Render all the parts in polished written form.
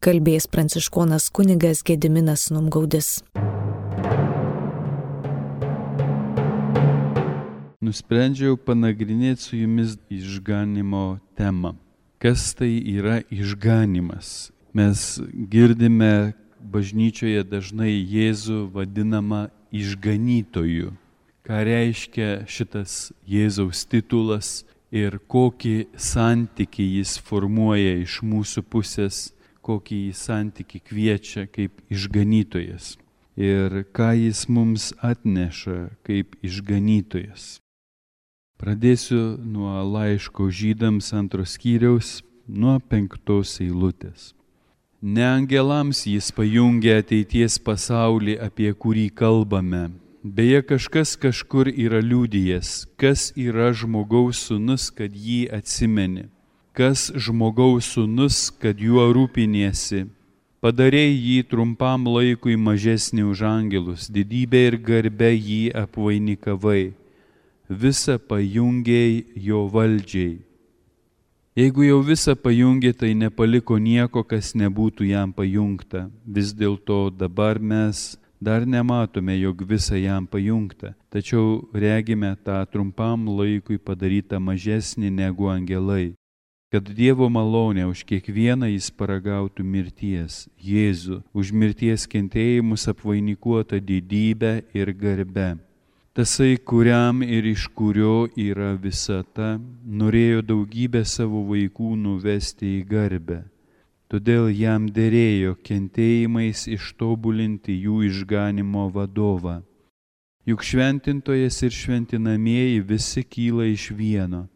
kalbės pranciškonas kunigas Gediminas Numgaudis. Nusprendžiau panagrinėti su jumis išganymo temą. Kas tai yra išganymas? Mes girdime bažnyčioje dažnai Jėzų vadinamą išganytoju. Ką reiškia šitas Jėzaus titulas ir kokį santykį jis formuoja iš mūsų pusės, kokį santykį kviečia kaip išganytojas ir ką jis mums atneša kaip išganytojas. Pradėsiu nuo laiško Žydams 2 skyriaus, nuo 5 eilutės. Ne angelams jis pajungia ateities pasaulį, apie kurį kalbame. Beje, kažkas kažkur yra liudijęs, kas yra žmogaus sūnus, kad jį atsimeni. Kas žmogaus sūnus, kad juo rūpiniesi. Padarei jį trumpam laikui mažesnį už angelus, didybę ir garbę jį apvainikavai. Visa pajungiai jo valdžiai. Jeigu jau visą pajungė, tai nepaliko nieko, kas nebūtų jam pajungta. Vis dėlto dabar mes dar nematome, jog visa jam pajungta, tačiau regime tą trumpam laikui padarytą mažesnį negu angelai, kad Dievo malonė už kiekvieną jis paragautų mirties, Jėzų, už mirties kentėjimus apvainikuota didybę ir garbę. Tasai, kuriam ir iš kurio yra visata, norėjo daugybę savo vaikų nuvesti į garbę. Todėl jam derėjo kentėjimais ištobulinti jų išganymo vadovą. Juk šventintojas ir šventinamieji visi kyla iš vieno.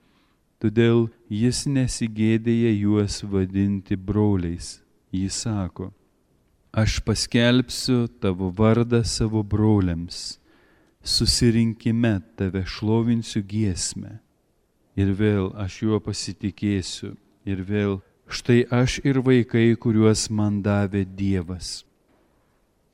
Todėl jis nesigėdėja juos vadinti broliais. Jis sako, aš paskelbsiu tavo vardą savo broliams. Susirinkime tave šlovinsiu giesmę. Ir vėl aš juo pasitikėsiu. Ir vėl štai aš ir vaikai, kuriuos man davė Dievas.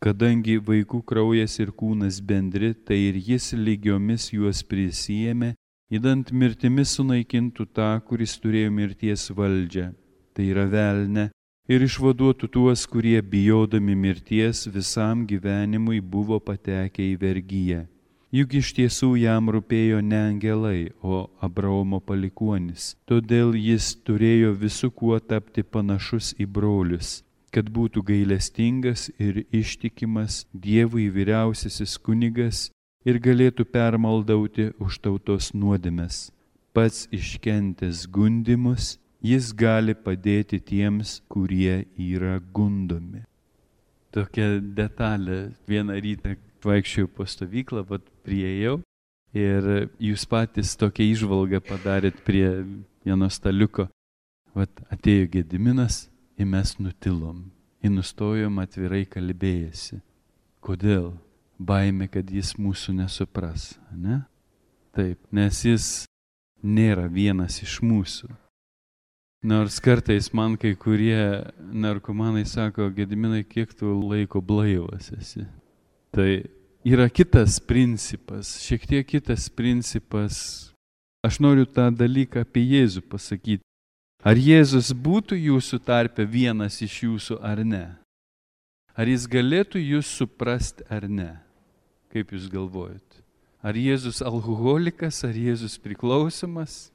Kadangi vaikų kraujas ir kūnas bendri, tai ir jis lygiomis juos prisiėmė, idant mirtimis sunaikintų tą, kuris turėjo mirties valdžią. Tai yra velnę. Ir išvaduotų tuos, kurie bijodami mirties visam gyvenimui buvo patekę į vergiją. Juk iš tiesų jam rūpėjo ne angelai, o Abraomo palikuonis. Todėl jis turėjo visu kuo tapti panašus į brolius, kad būtų gailestingas ir ištikimas Dievui vyriausiasis kunigas ir galėtų permaldauti už tautos nuodėmes. Pats iškentęs gundymus, jis gali padėti tiems, kurie yra gundomi. Tokia detalė. Vieną rytą vaikščiojau po stovyklą, priėjau ir jūs patys tokią įžvalgą padarėt prie vieno staliuko. Atėjo Gediminas ir mes nutilom. Ir nustojom atvirai kalbėjęsi. Kodėl? Baimė, kad jis mūsų nesupras, ne? Taip, nes jis nėra vienas iš mūsų. Nors kartais man kai kurie narkomanai sako, Gediminai, kiek tu laiko blaivas esi. Tai yra kitas principas, šiek tiek kitas principas. Aš noriu tą dalyką apie Jėzų pasakyti. Ar Jėzus būtų jūsų tarpe vienas iš jūsų ar ne? Ar jis galėtų jūs suprasti ar ne? Kaip jūs galvojat? Ar Jėzus alkoholikas, ar Jėzus priklausomas?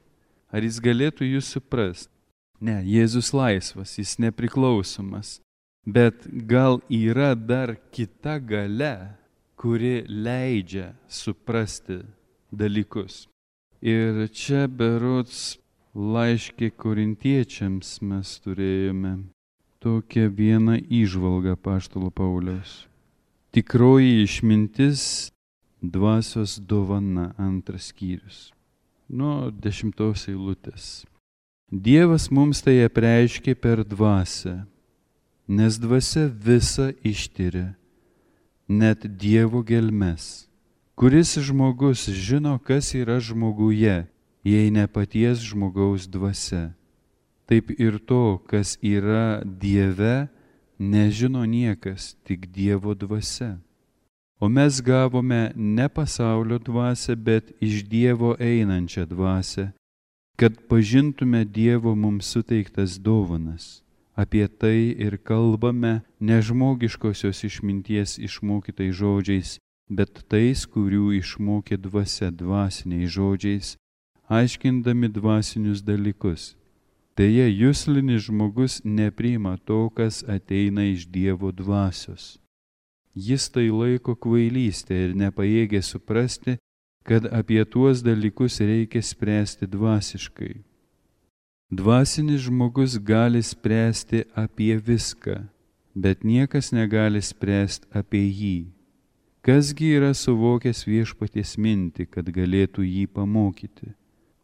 Ar jis galėtų jūs suprasti? Ne, Jėzus laisvas, jis nepriklausomas. Bet gal yra dar kita galia, kuri leidžia suprasti dalykus. Ir čia berods laiške Korintiečiams mes turėjome tokią vieną įžvalgą apaštalo Pauliaus. Tikroji išmintis, dvasios dovana, 2 skyrius. Nuo 10 eilutės. Dievas mums tai apreiškė per dvasią, nes dvasia visa ištiria, net Dievo gelmes. Kuris žmogus žino, kas yra žmoguje, jei ne paties žmogaus dvasia. Taip ir to, kas yra Dieve, nežino niekas, tik Dievo dvasia. O mes gavome ne pasaulio dvasią, bet iš Dievo einančią dvasią, kad pažintume Dievo mums suteiktas dovanas. Apie tai ir kalbame ne žmogiškosios išminties išmokytais žodžiais, bet tais, kurių išmokė dvasia dvasiniais žodžiais, aiškindami dvasinius dalykus. Deja, juslinis žmogus nepriima to, kas ateina iš Dievo dvasios. Jis tai laiko kvailystė ir nepajėgia suprasti, kad apie tuos dalykus reikia spręsti dvasiškai. Dvasinis žmogus gali spręsti apie viską, bet niekas negali spręsti apie jį. Kasgi yra suvokęs Viešpaties mintį, kad galėtų jį pamokyti,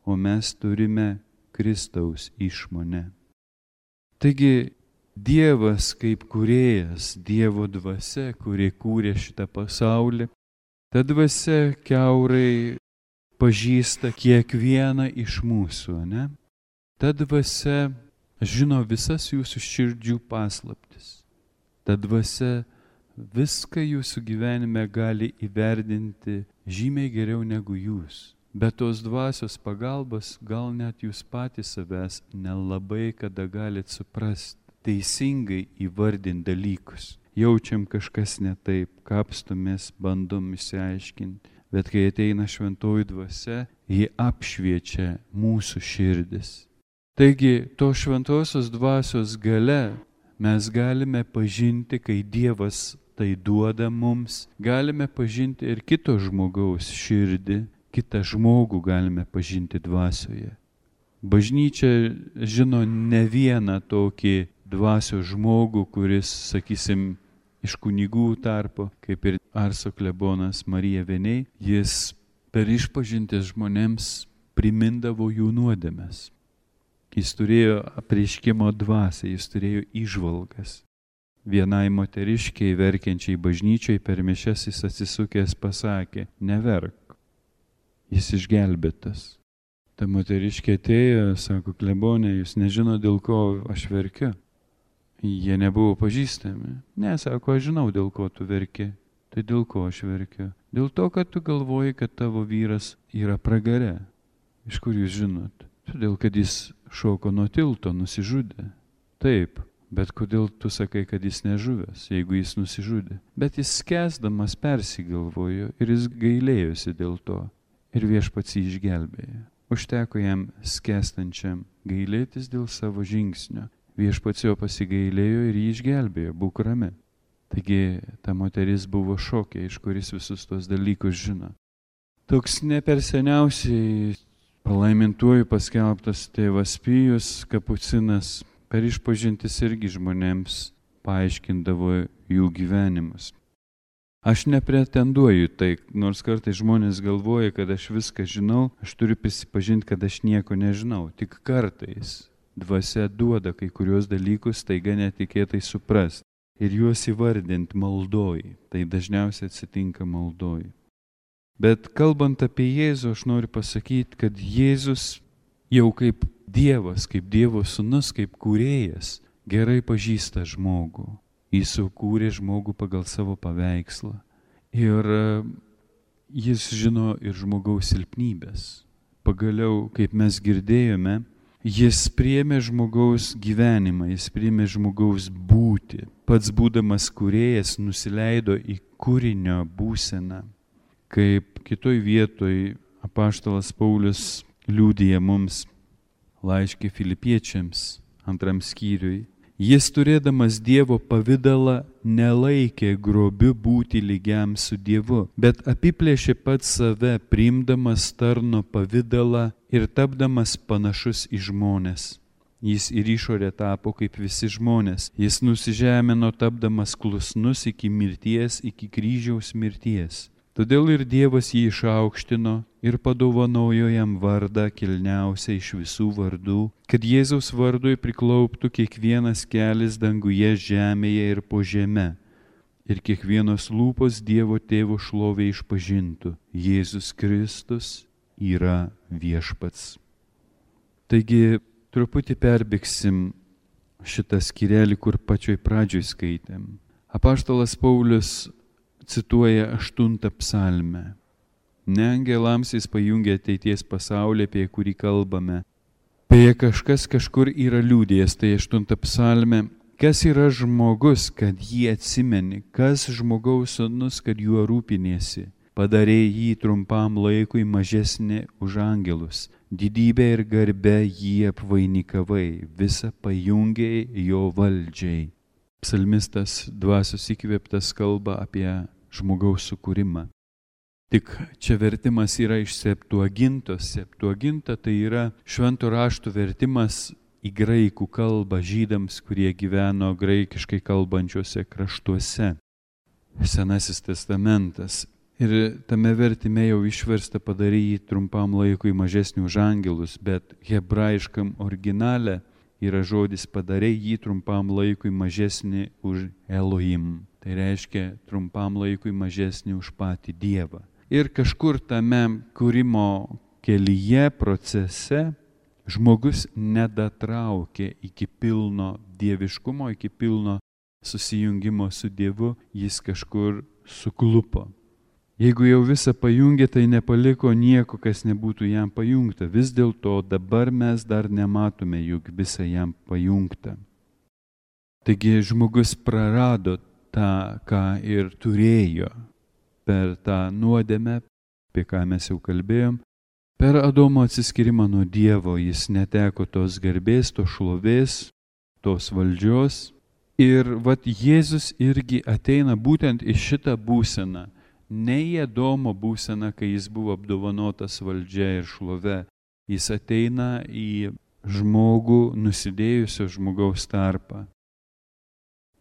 o mes turime Kristaus išmonę. Taigi, Dievas kaip kūrėjas, Dievo dvasia, kuri kūrė šitą pasaulį, ta dvasia kiaurai pažįsta kiekvieną iš mūsų, ne? Ta dvasia žino visas jūsų širdžių paslaptis. Ta dvasia viską jūsų gyvenime gali įvertinti žymiai geriau negu jūs. Bet tos dvasios pagalbos gal net jūs patys savęs nelabai kada galit suprasti, teisingai įvardinti dalykus. Jaučiam kažkas ne taip, kapstomės, bandom išsiaiškinti, bet kai ateina šventoji dvasia, ji apšviečia mūsų širdis. Taigi, to šventosios dvasios gale mes galime pažinti, kai Dievas tai duoda mums, galime pažinti ir kito žmogaus širdį, kitą žmogų galime pažinti dvasioje. Bažnyčia žino ne vieną tokį dvasios žmogų, kuris, sakysim, iš kunigų tarpo, kaip ir Arso klebonas Marija Veniai, jis per išpažintis žmonėms primindavo jų nuodėmes. Jis turėjo apreiškimo dvasią, jis turėjo įžvalgas. Vienai moteriškiai verkiančiai bažnyčiai per mišias jis atsisukęs pasakė, neverk, jis išgelbėtas. Ta moteriškė atėjo, sako, klebonė, jūs nežino, dėl ko aš verkiu. Jie nebuvo pažįstami. Ne, sako, aš žinau, dėl ko tu verki. Tai dėl ko aš verkiu? Dėl to, kad tu galvoji, kad tavo vyras yra pragare. Iš kur jūs žinot? Todėl, kad jis šoko nuo tilto, nusižudė. Taip, bet kodėl tu sakai, kad jis nežuvęs, jeigu jis nusižudė? Bet jis skęsdamas persigalvojo ir jis gailėjosi dėl to. Ir Viešpats jį išgelbėjo. Užteko jam skęstančiam gailėtis dėl savo žingsnio. Viešpats jo pasigailėjo ir jį išgelbėjo, būk rami. Taigi ta moteris buvo šokė, iš kuris visus tos dalykus žino. Toks ne per seniausiai palaimintuoju paskelbtas tėvas Pijus Kapucinas per išpažintis irgi žmonėms paaiškindavo jų gyvenimus. Aš nepretenduoju tai, nors kartais žmonės galvoja, kad aš viską žinau, aš turiu prisipažinti, kad aš nieko nežinau. Tik kartais dvasia duoda kai kurios dalykus taiga netikėtai suprast ir juos įvardinti maldoj. Tai dažniausiai atsitinka maldoj. Bet kalbant apie Jėzų, aš noriu pasakyti, kad Jėzus jau kaip Dievas, kaip Dievo sūnus, kaip kūrėjas, gerai pažįsta žmogų. Jis sukūrė žmogų pagal savo paveikslą. Ir jis žino ir žmogaus silpnybės. Pagaliau, kaip mes girdėjome, jis priėmė žmogaus gyvenimą, jis priėmė žmogaus būtį. Pats būdamas kūrėjas nusileido į kūrinio būseną. Kaip kitoj vietoj apaštalas Paulius liudija mums laiške Filipiečiams 2 skyriui. Jis turėdamas Dievo pavidalą nelaikė grobiu būti lygiam su Dievu, bet apiplėšė pats save, priimdamas tarno pavidalą ir tapdamas panašus į žmones. Jis ir išorė tapo kaip visi žmonės. Jis nusižemino tapdamas klusnus iki mirties, iki kryžiaus mirties. Todėl ir Dievas jį išaukštino ir padovanojo jam vardą kilniausią iš visų vardų, kad Jėzaus vardui priklauptų kiekvienas kelis danguje, žemėje ir po žeme. Ir kiekvienos lūpos Dievo Tėvo šlovė išpažintų, Jėzus Kristus yra viešpats. Taigi, truputį perbėgsim šitą skyrelį, kur pačioj pradžioj skaitėm. Apaštalas Paulius cituoja 8 psalmę. Ne angelams jis pajungia ateities pasaulį, apie kurį kalbame, Beje, kažkas kažkur yra liūdėjęs, tai 8 psalmė. Kas yra žmogus, kad jį atsimeni? Kas žmogaus sūnus, kad juo rūpiniesi? Padarė jį trumpam laikui mažesnį už angelus. Didybę ir garbę jį apvainikavai, visą pajungiai jo valdžiai. Psalmistas dvasios įkvėptas kalba apie žmogaus sukūrimą. Tik čia vertimas yra iš Septuagintos. Septuaginta tai yra švento rašto vertimas į graikų kalbą žydams, kurie gyveno graikiškai kalbančiuose kraštuose. Senasis testamentas. Ir tame vertime jau išversta padarė jį trumpam laikui mažesnį už angelus, bet hebrajiškam originale yra žodis padarė jį trumpam laikui mažesnį už Elohim. Tai reiškia trumpam laikui mažesnį už patį Dievą. Ir kažkur tame kūrimo kelyje, procese, žmogus nedatraukė iki pilno dieviškumo, iki pilno susijungimo su Dievu, jis kažkur suklupo. Jeigu jau visą pajungė, tai nepaliko nieko, kas nebūtų jam pajungta. Vis dėlto dabar mes dar nematome, juk visą jam pajungta. Taigi žmogus prarado tą, ką ir turėjo per tą nuodėmę, apie ką mes jau kalbėjom. Per Adomo atsiskyrimą nuo Dievo jis neteko tos garbės, tos šlovės, tos valdžios. Ir vat Jėzus irgi ateina būtent į šitą būseną. Ne į Adomo būseną, kai jis buvo apdovanotas valdžia ir šlove. Jis ateina į žmogų, nusidėjusio žmogaus tarpą.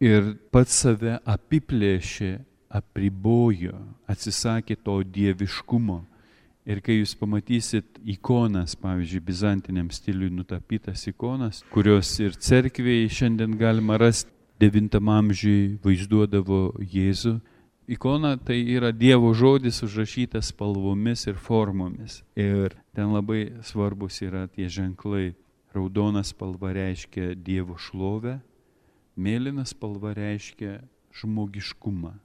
Ir pats save apiplėšė, apribojo, atsisakė to dieviškumo. Ir kai jūs pamatysit ikonas, pavyzdžiui, bizantiniam stiliui nutapytas ikonas, kurios ir cerkvėje šiandien galima rasti, 9 amžiui vaizduodavo Jėzų. Ikona tai yra Dievo žodis užrašytas spalvomis ir formomis. Ir ten labai svarbus yra tie ženklai. Raudona spalva reiškia Dievo šlovę, mėlyna spalva reiškia žmogiškumą.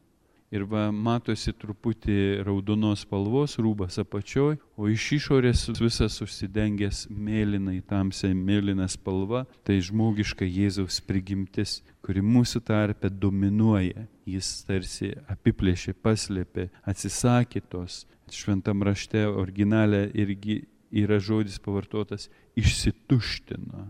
Ir va, matosi truputį raudonos spalvos rūbas apačioj, o iš išorės visas užsidengęs mėlynai, tamsiai mėlyna spalva, tai žmogiška Jėzaus prigimtis, kuri mūsų tarpe dominuoja. Jis tarsi apiplėšė, paslėpė, atsisakė tos. Šventam rašte originale irgi yra žodis pavartotas išsituštino.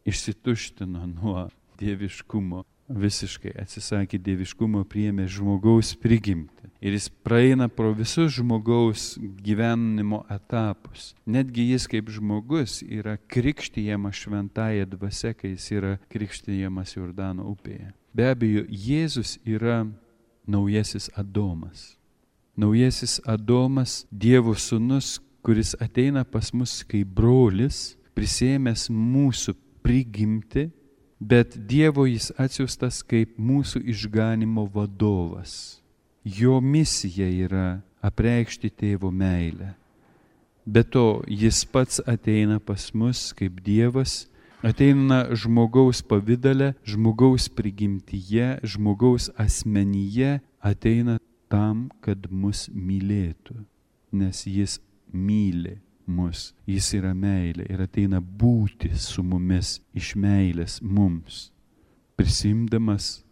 Išsituštino nuo dieviškumo. Visiškai atsisakė dieviškumo, priėmė žmogaus prigimtį. Ir jis praeina pro visus žmogaus gyvenimo etapus. Netgi jis kaip žmogus yra krikštijamas šventąja dvasia, kai jis yra krikštijamas Jordano upėje. Be abejo, Jėzus yra naujasis Adomas. Naujasis Adomas, Dievo sūnus, kuris ateina pas mus kaip brolis, prisėmęs mūsų prigimtį, bet Dievo jis atsiųstas kaip mūsų išganimo vadovas. Jo misija yra apreikšti tėvo meilę. Be to, jis pats ateina pas mus kaip Dievas, ateina žmogaus pavydale, žmogaus prigimtyje, žmogaus asmenyje, ateina tam, kad mus mylėtų, nes jis myli mus. Jis yra meilė ir ateina būti su mumis iš meilės mums, prisimdamas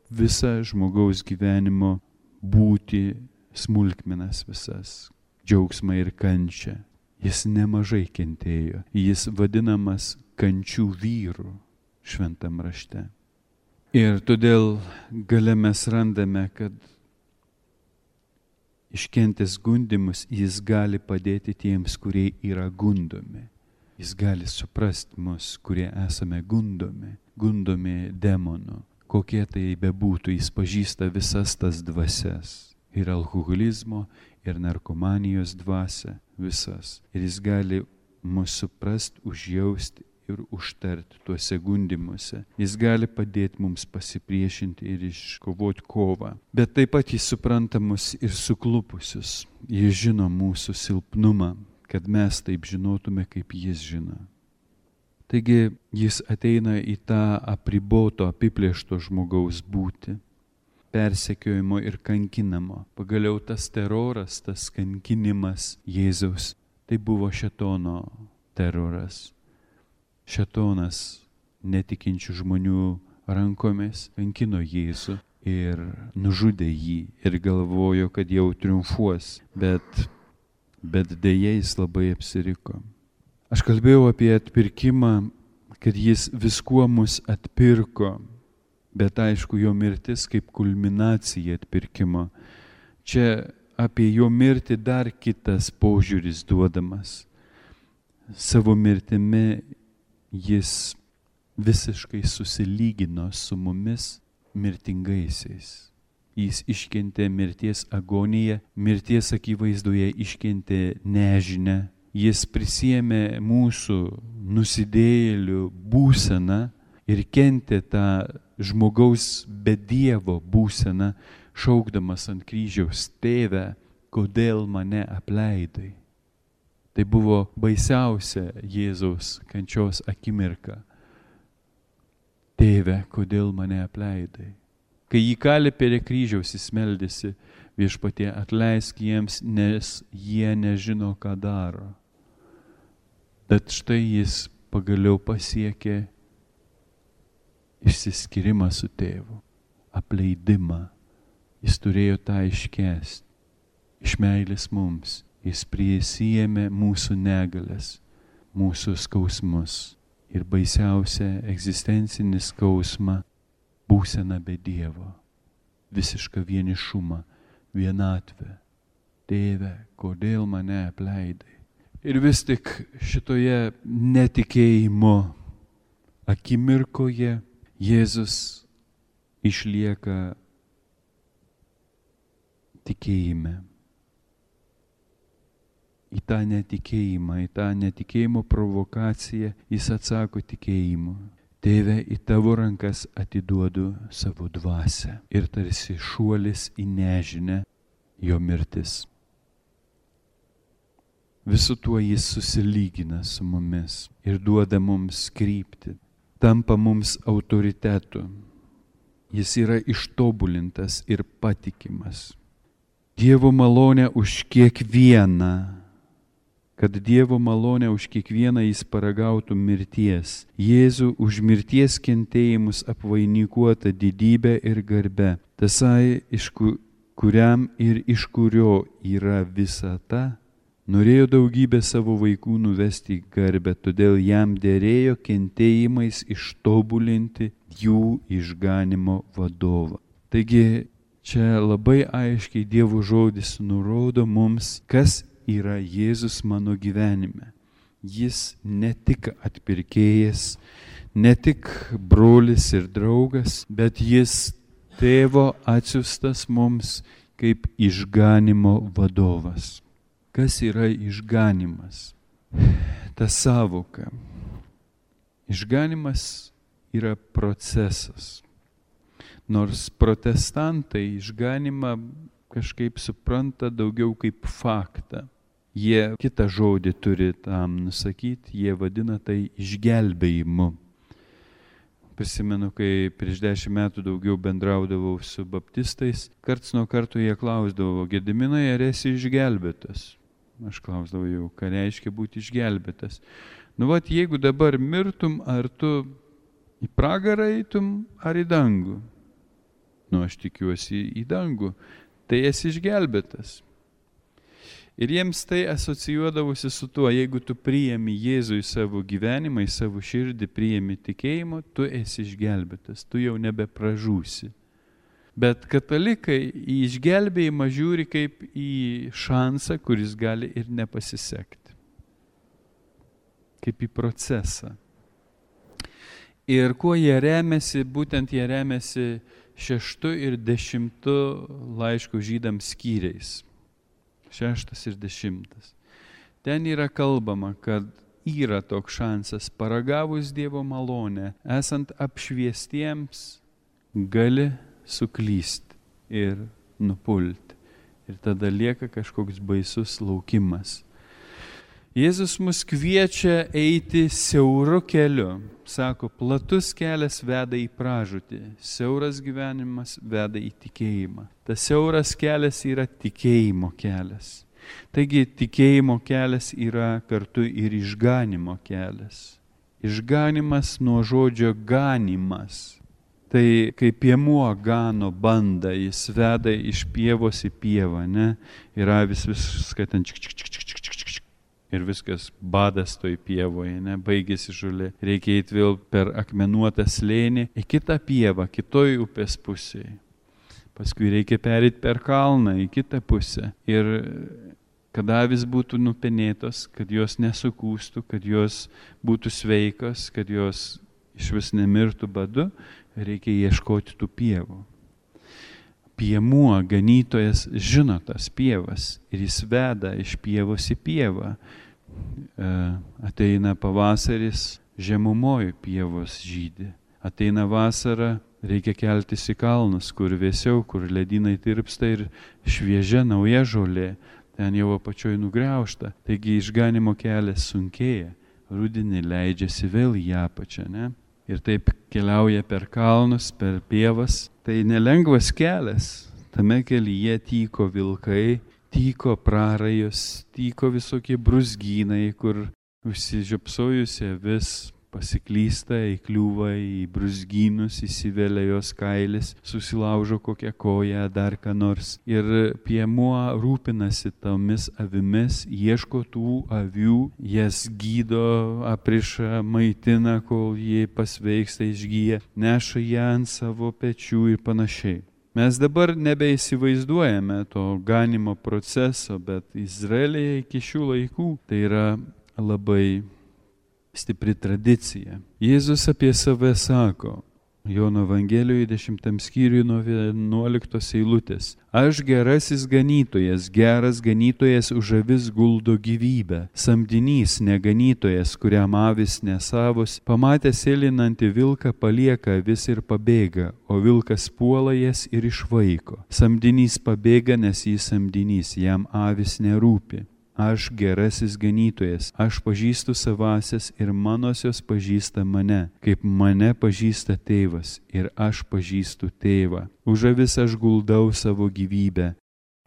visą žmogaus gyvenimo būti smulkmenas visas, džiaugsmą ir kančią. Jis nemažai kentėjo. Jis vadinamas kančių vyru šventam rašte. Ir todėl gale mes randame, kad iškentęs gundymus, jis gali padėti tiems, kurie yra gundomi. Jis gali suprasti mus, kurie esame gundomi demonų. Kokie tai bebūtų, jis pažįsta visas tas dvasias. Ir alkoholizmo, ir narkomanijos dvasia, visas. Ir jis gali mus suprasti, užjausti ir užtarti tuose gundymuose. Jis gali padėti mums pasipriešinti ir iškovoti kovą. Bet taip pat jis supranta mus ir suklupusius. Jis žino mūsų silpnumą, kad mes taip žinotume, kaip jis žino. Taigi jis ateina į tą apriboto, apiplėšto žmogaus būtį, persekiojimo ir kankinamo. Pagaliau tas teroras, tas kankinimas Jėzaus, tai buvo šėtono teroras. Šėtonas netikinčių žmonių rankomis kankino Jėzų ir nužudė jį ir galvojo, kad jau triumfuos, bet deja jis labai apsiriko. Aš kalbėjau apie atpirkimą, kad jis viskuo mus atpirko, bet aišku, jo mirtis kaip kulminacija atpirkimo. Čia apie jo mirtį dar kitas požiūris duodamas. Savo mirtimi jis visiškai susilygino su mumis mirtingaisiais. Jis iškentė mirties agoniją, mirties akivaizdoje iškentė nežinę. Jis prisiėmė mūsų nusidėjėlių būseną ir kentė tą žmogaus be Dievo būseną, šaukdamas ant kryžiaus: Tėve, kodėl mane apleidai? Tai buvo baisiausia Jėzaus kančios akimirka. Tėve, kodėl mane apleidai? Kai jį kalė prie kryžiaus, jis meldėsi: Viešpatie, atleisk jiems, nes jie nežino, ką daro. Bet štai jis pagaliau pasiekė išsiskyrimą su tėvu, apleidimą. Jis turėjo tą iškęsti. Iš meilės mums jis prisijėmė mūsų negalės, mūsų skausmus ir baisiausią egzistencinį skausmą, būseną be Dievo, visišką vienišumą, vienatvę. Tėve, kodėl mane apleidai? Ir vis tik šitoje netikėjimo akimirkoje Jėzus išlieka tikėjime. Į tą netikėjimą, į tą netikėjimo provokaciją jis atsako tikėjimu. Tėve, į tavo rankas atiduodu savo dvasią. Ir tarsi šuolis į nežinę jo mirtis. Visu tuo jis susilygina su mumis ir duoda mums kryptį, tampa mums autoritetu. Jis yra ištobulintas ir patikimas. Dievo malonė už kiekvieną, kad Dievo malonė už kiekvieną jis paragautų mirties. Jėzų už mirties kentėjimus apvainikuota didybė ir garbe. Tasai, kuriam ir iš kurio yra visata, norėjo daugybę savo vaikų nuvesti į garbę, todėl jam derėjo kentėjimais ištobulinti jų išganimo vadovą. Taigi čia labai aiškiai Dievo žodis nurodo mums, kas yra Jėzus mano gyvenime. Jis ne tik atpirkėjas, ne tik brolis ir draugas, bet jis tėvo atsiųstas mums kaip išganimo vadovas. Kas yra išganimas? Ta sąvoka. Išganimas yra procesas. Nors protestantai išganimą kažkaip supranta daugiau kaip faktą. Jie kitą žodį turi tam nusakyti, jie vadina tai išgelbėjimu. Prisimenu, kai prieš 10 metų daugiau bendraudavau su baptistais, karts nuo karto jie klausdavo: Gediminai, ar esi išgelbėtas? Aš klausdavau jau, ką reiškia būti išgelbėtas. Jeigu dabar mirtum, ar tu į pragarą eitum, ar į dangų? Aš tikiuosi į dangų. Tai esi išgelbėtas. Ir jiems tai asocijuodavosi su tuo, jeigu tu priimi Jėzų į savo gyvenimą, į savo širdį, priimi tikėjimo, tu esi išgelbėtas, tu jau nebepražūsi. Bet katalikai į išgelbėjimą žiūri kaip į šansą, kuris gali ir nepasisekti. Kaip į procesą. Ir kuo jie remiasi, būtent jie remiasi 6 ir 10 laiško žydams skyriais. 6 ir 10. Ten yra kalbama, kad yra toks šansas, paragavus Dievo malonę, esant apšviestiems, gali suklysti ir nupulti. Ir tada lieka kažkoks baisus laukimas. Jėzus mus kviečia eiti siauru keliu. Sako, platus kelias veda į pražūtį, siauras gyvenimas veda į tikėjimą. Tas siauras kelias yra tikėjimo kelias. Taigi tikėjimo kelias yra kartu ir išganimo kelias. Išganimas nuo žodžio ganimas. Tai kai piemuo gano bandą, jis veda iš pievos į pievą, ne? Ir avis viską ten ir viskas badas toj pievoje, ne? Baigėsi žolė. Reikia eiti vėl per akmenuotą slėnį į kitą pievą, kitoj upės pusėje. Paskui reikia pereiti per kalną į kitą pusę. Ir kad avis būtų nupenėtos, kad jos nesukūstų, kad jos būtų sveikos, kad jos iš vis nemirtų badu, reikia ieškoti tų pievų. Piemuo, ganytojas žino tas pievas ir jis veda iš pievos į pievą. Ateina pavasaris, žemumoj pievos žydi. Ateina vasara, reikia keltis į kalnus, kur vėsiau, kur ledynai tirpsta ir šviežia nauja žolė. Ten jau apačioj nugriaužta. Taigi išganimo kelias sunkėja. Rudenį leidžiasi vėl į apačią, ne? Ir taip keliauja per kalnus, per pievas. Tai nelengvas kelias. Tame kelyje tyko vilkai, tyko prarajos, tyko visokie brūzgynai, kur užsižiopsojusi avis pasiklysta, įkliūva į brūzgynus, įsivelia jos kailis, susilaužo kokią koją, dar ką nors. Ir piemuo rūpinasi tomis avimis, ieško tų avių, jas gydo, apriša, maitina, kol jie pasveiksta, išgyja, neša ją ant savo pečių ir panašiai. Mes dabar nebeįsivaizduojame to ganimo proceso, bet Izraelyje iki šių laikų tai yra labai stipri tradicija. Jėzus apie save sako, Jono Evangelijoje 10 skyriuje nuo 11 eilutės. Aš gerasis ganytojas, geras ganytojas už avis guldo gyvybę. Samdinys, neganytojas, kuriam avis nesavos, pamatęs sėlinantį vilką palieka avis ir pabėga, o vilkas puola jas ir išvaiko. Samdinys pabėga, nes jis samdinys, jam avis nerūpi. Aš gerasis ganytojas, aš pažįstu savasias ir manosios pažįsta mane, kaip mane pažįsta tėvas ir aš pažįstu tėvą. Už avis aš guldau savo gyvybę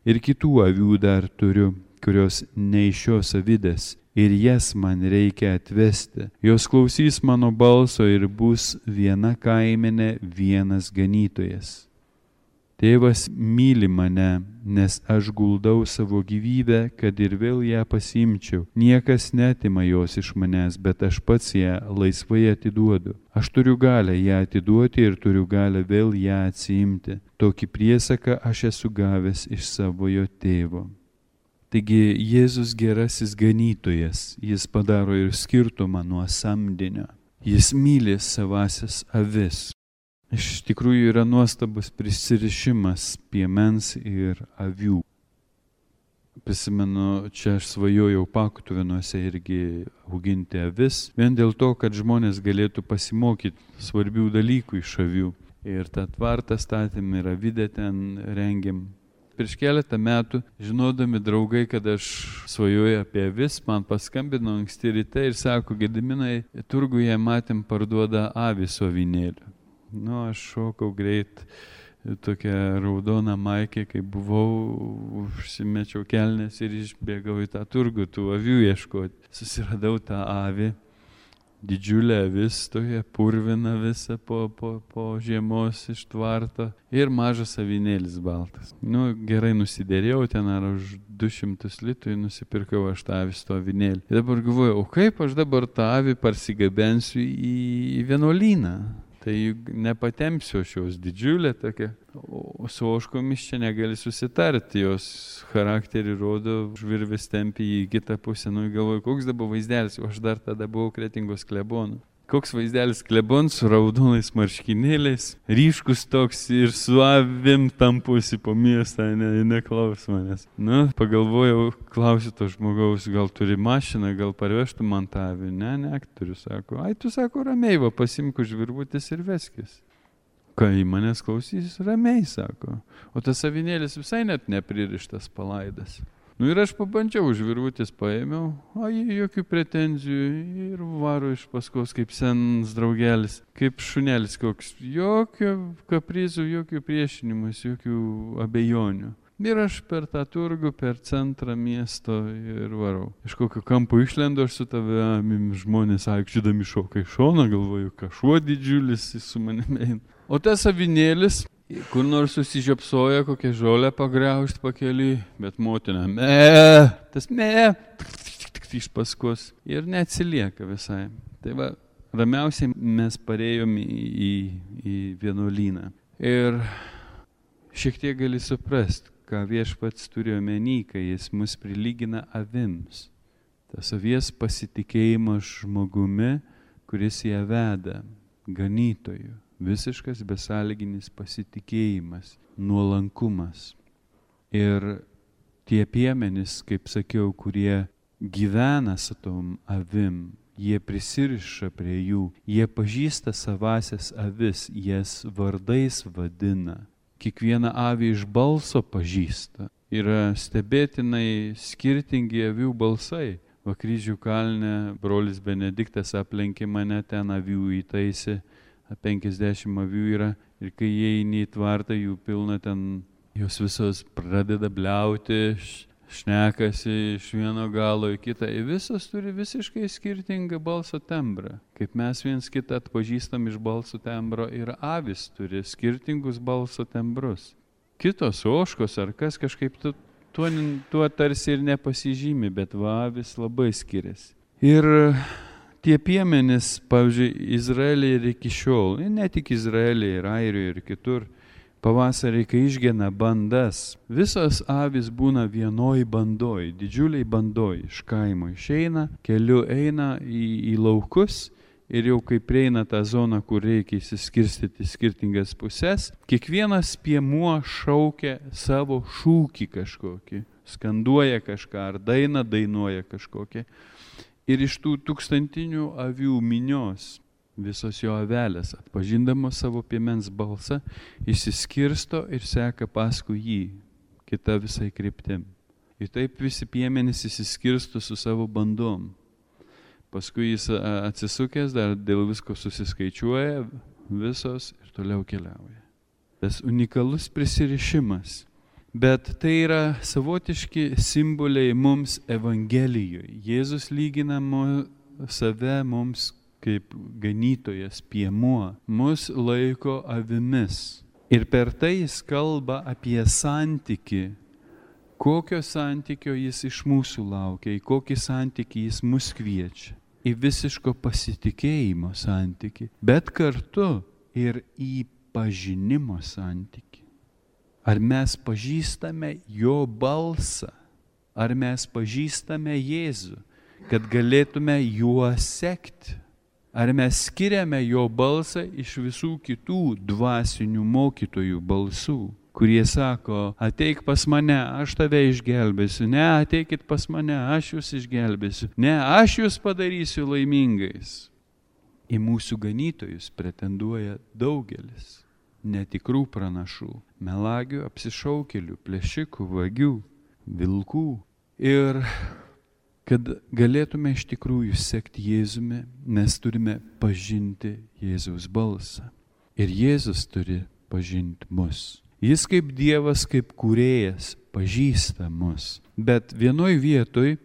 ir kitų avių dar turiu, kurios ne iš šios avidės ir jas man reikia atvesti. Jos klausys mano balso ir bus viena kaimenė, vienas ganytojas. Tėvas myli mane, nes aš guldau savo gyvybę, kad ir vėl ją pasiimčiau. Niekas neatima jos iš manęs, bet aš pats ją laisvai atiduodu. Aš turiu galę ją atiduoti ir turiu galę vėl ją atsiimti. Tokį priesaką aš esu gavęs iš savojo tėvo. Taigi Jėzus gerasis ganytojas, jis padaro ir skirtumą nuo samdinio. Jis myli savasias avis. Iš tikrųjų yra nuostabus prisirišimas piemens ir avių. Prisimenu, čia aš svajojau Pakutuvinuose irgi auginti avis, vien dėl to, kad žmonės galėtų pasimokyti svarbių dalykų iš avių. Ir tą tvartą statėm ir avidę ten rengėm. Prieš keletą metų, žinodami draugai, kad aš svajoju apie avis, man paskambino anksti ryte ir sako, Gediminai, turguje matėm parduoda avį su avinėliu. Aš šokau greit, tokią raudoną maikę, kai buvau, užsimečiau kelnes ir išbėgau į tą turgų, tų avių ieškoti. Susiradau tą avį, didžiulę avis, tokia purvina visa po žiemos iš tvarto ir mažas avinėlis baltas. Gerai nusidėrėjau ten ar už 200 litų nusipirkau aš tą avį su to avinėlį. Ir dabar galvoju, o kaip aš dabar tą avį parsigabensiu į vienuolyną? Tai nepatempsiu šios didžiulė tokia, o su ožkomis čia negali susitarti, jos charakterį rodo, žvirvis tempi į kitą pusę, galvoju, koks dabar vaizdelis, o aš dar tada buvau Kretingos klebonu. Koks vaizdelis klebon su raudonais marškinėliais, ryškus toks ir su avim tampusi po miestą, neklaus manęs. Pagalvojau, klausiu to žmogaus, gal turi mašiną, gal parvežtų man tą avį. Ne, turiu, sako. Tu sako, ramiai, pasimk už virvutės ir veskis. Kai manęs klausys, ramiai, sako. O tas avinėlis visai net nepririštas palaidas. Ir aš pabandžiau, už virvutės paėmiau, jokių pretenzijų ir varo iš paskos kaip senas draugelis, kaip šunelis koks, jokių kaprizų, jokių priešinimus, jokių abejonių. Ir aš per tą turgų, per centrą miesto ir varau. Iš kokio kampo išlendu, aš su tavimi žmonės aikčiodami šoka į šoną, galvoju, kažuo didžiulis su manimi eina. O tas avinėlis, kur nors susižiopsoja, kokią žolę pagriaužt pakeliui, bet motina, tas iš paskos ir neatsilieka visai. Tai va, ramiausiai mes parėjom į vienuolyną. Ir šiek tiek gali suprast, ką Viešpats turi omeny, kai jis mus prilygina avims. Tas avies pasitikėjimas žmogumi, kuris ją veda, ganytoju. Visiškas besąlyginis pasitikėjimas, nuolankumas. Ir tie piemenys, kaip sakiau, kurie gyvena su tom avim, jie prisiriša prie jų, jie pažįsta savasias avis, jas vardais vadina. Kiekvieną avį iš balso pažįsta. Yra stebėtinai skirtingi avių balsai. Va Kryžių kalne brolis Benediktas aplenkė mane, ten avių įtaisė, 50 avių yra. Ir kai įeini į tvartą, jų pilna ten, jos visos pradeda bliauti, šnekasi iš vieno galo į kitą. Ir visos turi visiškai skirtingą balso tembrą. Kaip mes viens kitą atpažįstam iš balso tembro, ir avis turi skirtingus balso tembrus. Kitos ožkos ar kas kažkaip tuo tarsi ir nepasižymi, bet va avis labai skiriasi. Ir tie piemenys, pavyzdžiui, Izraelyje ir iki šiol, ne tik Izraelyje, ir Airijoje ir kitur, pavasarį, kai išgena bandas, visos avis būna vienoj bandoj, didžiuliai bandoj, iš kaimo išeina, keliu eina į laukus ir jau kai prieina tą zoną, kur reikia įsiskirstyti skirtingas pusės, kiekvienas piemuo šaukia savo šūkį kažkokį, skanduoja kažką ar dainą dainuoja kažkokį. Ir iš tų tūkstantinių avių minios visos jo avelės, atpažindamos savo piemens balsą, išsiskirsto ir seka paskui jį, kita visai kryptim. Ir taip visi piemenys išsiskirsto su savo bandom. Paskui jis atsisukęs, dar dėl visko susiskaičiuoja visos ir toliau keliauja. Tas unikalus prisirišimas. Bet tai yra savotiški simboliai mums Evangelijoje. Jėzus lygina save mums kaip ganytojas, piemuo, mus laiko avimis. Ir per tai jis kalba apie santykį, kokio santykio jis iš mūsų laukia, į kokį santykį jis mus kviečia. Į visiško pasitikėjimo santykį, bet kartu ir į pažinimo santykį. Ar mes pažįstame jo balsą, ar mes pažįstame Jėzų, kad galėtume juo sekti. Ar mes skiriame jo balsą iš visų kitų dvasinių mokytojų balsų, kurie sako, ateik pas mane, aš tave išgelbėsiu, ne, ateikit pas mane, aš jūs išgelbėsiu, ne, aš jūs padarysiu laimingais. Į mūsų ganytojus pretenduoja daugelis netikrų pranašų, melagių, apsišaukėlių, plėšikų, vagių, vilkų. Ir kad galėtume iš tikrųjų sekti Jėzumi, mes turime pažinti Jėzaus balsą. Ir Jėzus turi pažinti mus. Jis kaip Dievas, kaip kūrėjas, pažįsta mus. Bet vienoj vietoj,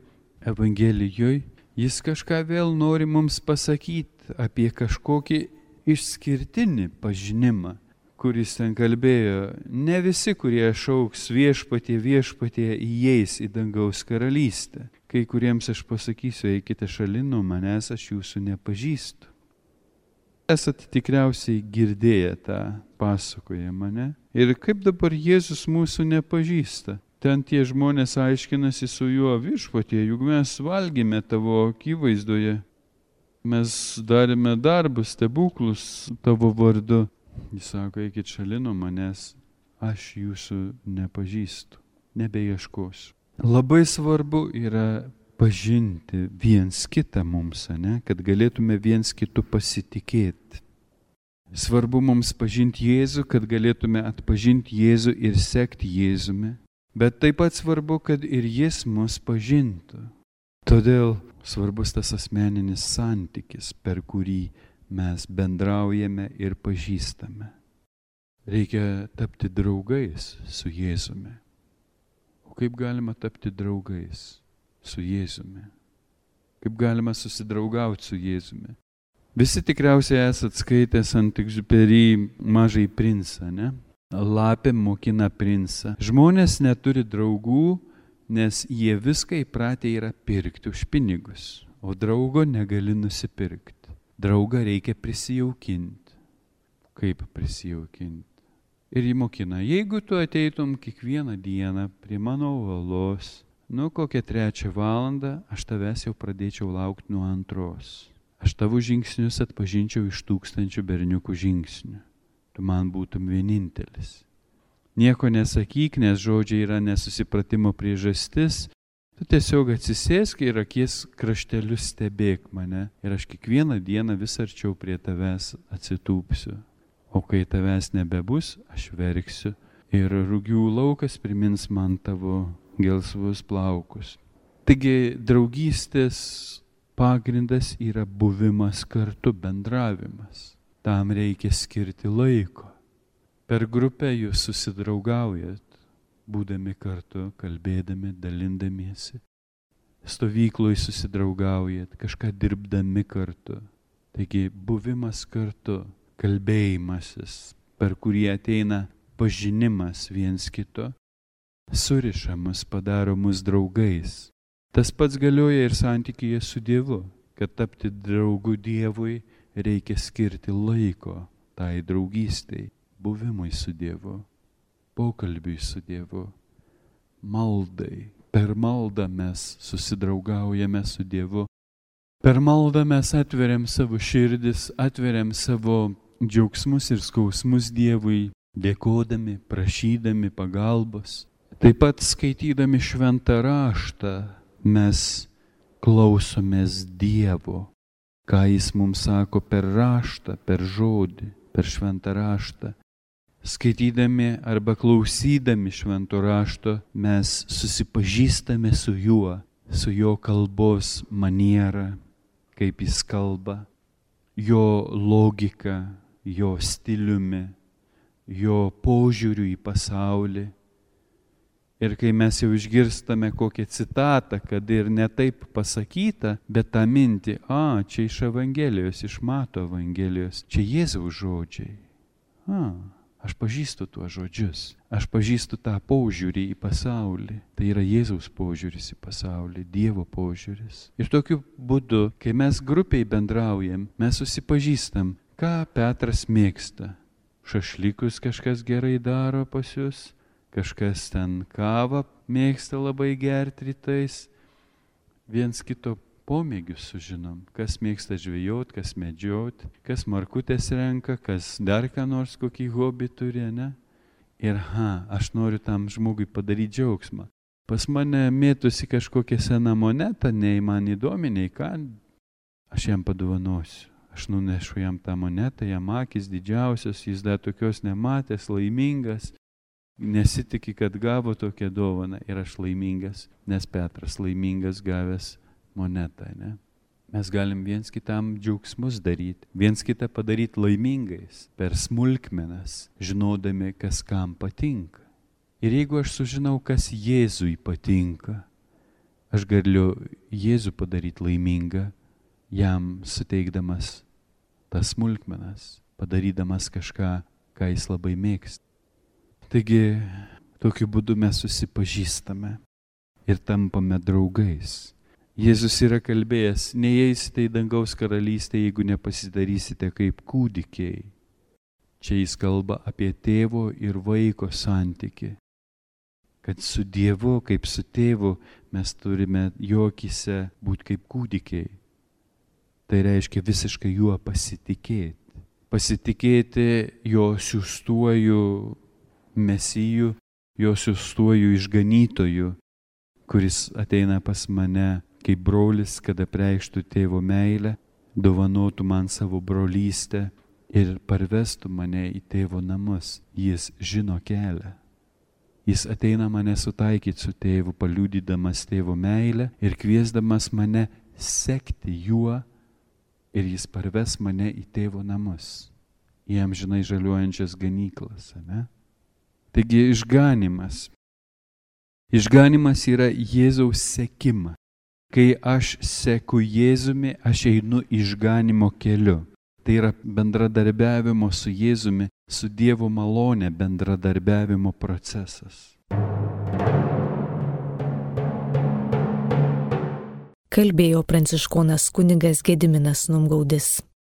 Evangelijoje, jis kažką vėl nori mums pasakyti apie kažkokį išskirtinį pažinimą, kuris ten kalbėjo. Ne visi, kurie šauks viešpatie, viešpatie, įeis į dangaus karalystę. Kai kuriems aš pasakysiu, eikite šalin nuo manęs, aš jūsų nepažįstu. Esate tikriausiai girdėję tą pasakojimą, ne? Ir kaip dabar Jėzus mūsų nepažįsta? Ten tie žmonės aiškinasi su juo, viešpatie, juk mes valgėme tavo akivaizdoje. Mes darėme darbus, stebuklus tavo vardu. Jis sako, eikit šalin nuo manęs, aš jūsų nepažįstu, nebeieškosiu. Labai svarbu yra pažinti viens kitą mums, ne? Kad galėtume viens kitu pasitikėti. Svarbu mums pažinti Jėzų, kad galėtume atpažinti Jėzų ir sekti Jėzumi. Bet taip pat svarbu, kad ir Jis mus pažintų. Todėl svarbus tas asmeninis santykis, per kurį mes bendraujame ir pažįstame. Reikia tapti draugais su Jėzumi. O kaip galima tapti draugais su Jėzumi? Kaip galima susidraugauti su Jėzumi? Visi tikriausiai esat skaitęs Saint-Exupéry Mažąjį princą, ne? Lapė mokina princą. Žmonės neturi draugų, nes jie viską įpratę yra pirkti už pinigus, o draugo negali nusipirkti. Draugą reikia prisijaukinti. Kaip prisijaukinti? Ir jį mokina, jeigu tu ateitum kiekvieną dieną prie mano uolos, kokią 3 valandą, aš tavęs jau pradėčiau laukti nuo 2. Aš tavo žingsnius atpažinčiau iš 1000 berniukų žingsnių. Tu man būtum vienintelis. Nieko nesakyk, nes žodžiai yra nesusipratimo priežastis. Tu tiesiog atsisėsk ir akies kraštelius stebėk mane. Ir aš kiekvieną dieną vis arčiau prie tavęs atsitūpsiu. O kai tavęs nebebus, aš verksiu. Ir rugių laukas primins man tavo gelsvus plaukus. Taigi draugystės pagrindas yra buvimas kartu, bendravimas. Tam reikia skirti laiko. Per grupę jūs susidraugaujat, būdami kartu, kalbėdami, dalindamiesi. Stovykloj susidraugaujat, kažką dirbdami kartu. Taigi buvimas kartu, kalbėjimasis, per kurį ateina pažinimas viens kito, suriša mus, padaro mus draugais. Tas pats galioja ir santykyje su Dievu, kad tapti draugu Dievui reikia skirti laiko tai draugystei, buvimui su Dievu, pokalbiui su Dievu, maldai. Per maldą mes susidraugaujame su Dievu. Per maldą mes atveriam savo širdis, atveriam savo džiaugsmus ir skausmus Dievui, dėkodami, prašydami pagalbos. Taip pat skaitydami šventą raštą mes klausomės Dievo, ką Jis mums sako per raštą, per žodį, per šventą raštą. Skaitydami arba klausydami švento rašto mes susipažįstame su juo, su jo kalbos maniera, kaip Jis kalba, jo logika, jo stiliumi, jo požiūriu į pasaulį. Ir kai mes jau išgirstame kokią citatą, kad ir ne taip pasakyta, bet tą mintį, čia iš Evangelijos, iš Mato Evangelijos, čia Jėzaus žodžiai. Aš pažįstu tuos žodžius, aš pažįstu tą požiūrį į pasaulį. Tai yra Jėzaus požiūris į pasaulį, Dievo požiūris. Ir tokiu būdu, kai mes grupiai bendraujam, mes susipažįstam, ką Petras mėgsta. Šašlykus kažkas gerai daro pas jūs, kažkas ten kavą mėgsta labai gerti rytais. Viens kito pomėgius sužinom, kas mėgsta žvejot, kas medžiot, kas markutės renka, kas dar ką nors kokį hobį turi, ne? Ir aš noriu tam žmogui padaryti džiaugsmą. Pas mane mėtusi kažkokia sena moneta, nei man įdomi, nei ką, aš jam padovanosiu. Aš nunešu jam tą monetą, jam akis didžiausios, jis dar tokios nematęs, laimingas. Nesitiki, kad gavo tokią dovaną ir aš laimingas, nes Petras laimingas gavęs monetą, ne? Mes galim viens kitam džiaugsmus daryti, viens kitą padaryti laimingais per smulkmenas, žinodami, kas kam patinka. Ir jeigu aš sužinau, kas Jėzui patinka, aš galiu Jėzų padaryti laimingą, jam suteikdamas tas smulkmenas, padarydamas kažką, ką jis labai mėgsta. Taigi, tokiu būdu mes susipažįstame ir tampame draugais. Jėzus yra kalbėjęs, neįeisite į dangaus karalystę, jeigu nepasidarysite kaip kūdikiai. Čia jis kalba apie tėvo ir vaiko santykį. Kad su Dievu, kaip su tėvu, mes turime jo akyse būti kaip kūdikiai. Tai reiškia visiškai juo pasitikėti. Pasitikėti jo siųstuoju Mesiju, jo siųstuoju išganytoju, kuris ateina pas mane kaip brolis, kad apreikštų tėvo meilę, dovanotų man savo brolystę ir parvestų mane į tėvo namus. Jis žino kelią. Jis ateina mane sutaikyti su tėvu, paliudydamas tėvo meilę ir kviesdamas mane sekti juo, ir jis parves mane į tėvo namus, į amžinai žaliuojančias ganyklas, ne? Taigi išganymas Išganimas yra Jėzaus sekimą. Kai aš seku Jėzumi, aš einu išganimo keliu. Tai yra bendradarbiavimo su Jėzumi, su Dievo malone bendradarbiavimo procesas. Kalbėjo pranciškonas kunigas Gediminas Numgaudis.